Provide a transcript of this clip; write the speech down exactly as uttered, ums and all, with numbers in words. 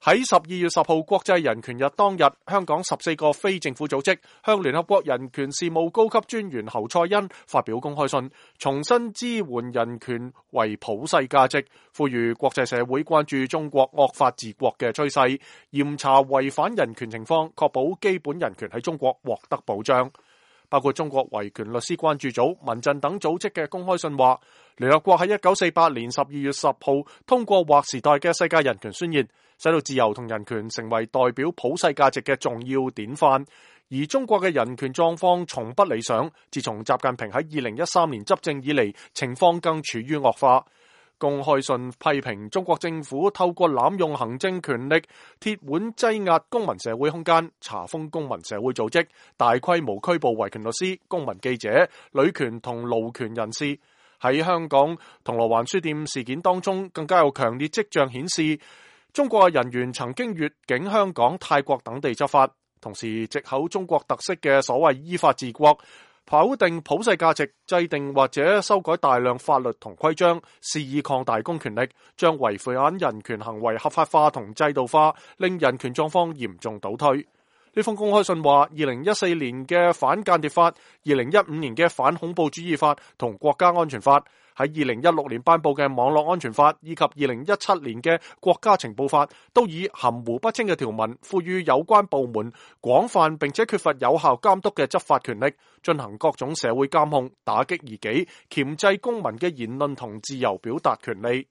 喺十二月十號國際人權日當日，香港十四個非政府組織向聯合國人權事務高級專員侯賽因發表公開信，重申支援人權為普世價值，呼籲國際社會關注中國惡法治國嘅趨勢，嚴查違反人權情況，確保基本人權喺中國獲得保障。包括中國維權律師關注組、民陣等組織嘅公開信話，聯合國喺一九四八年十二月十號通過劃時代嘅世界人權宣言，使到自由同人權成為代表普世價值嘅重要典範。而中國嘅人權狀況從不理想，自從習近平喺二零一三年執政以嚟，情況更處於惡化。公開信批評中國政府透過濫用行政權力，鐵腕擠壓公民社會空間，查封公民社會組織，大規模拘捕維權律師、公民記者、女權同勞權人士。喺香港銅鑼灣書店事件當中，更加有強烈跡象顯示，中國嘅人員曾經越境香港、泰國等地執法，同時藉口中國特色嘅所謂依法治國，否定普世價值，制定或者修改大量法律同規章，肆意擴大公權力，將違反人權行為合法化同制度化，令人權狀況嚴重倒退。呢封公開信話，二零一四年嘅反間諜法、二零一五年嘅反恐怖主義法同國家安全法，喺二零一六年頒布嘅網絡安全法以及二零一七年嘅國家情報法，都以含糊不清嘅條文，賦予有關部門廣泛並且缺乏有效監督嘅執法權力，進行各種社會監控，打擊異己，鉗制公民嘅言論同自由表達權利。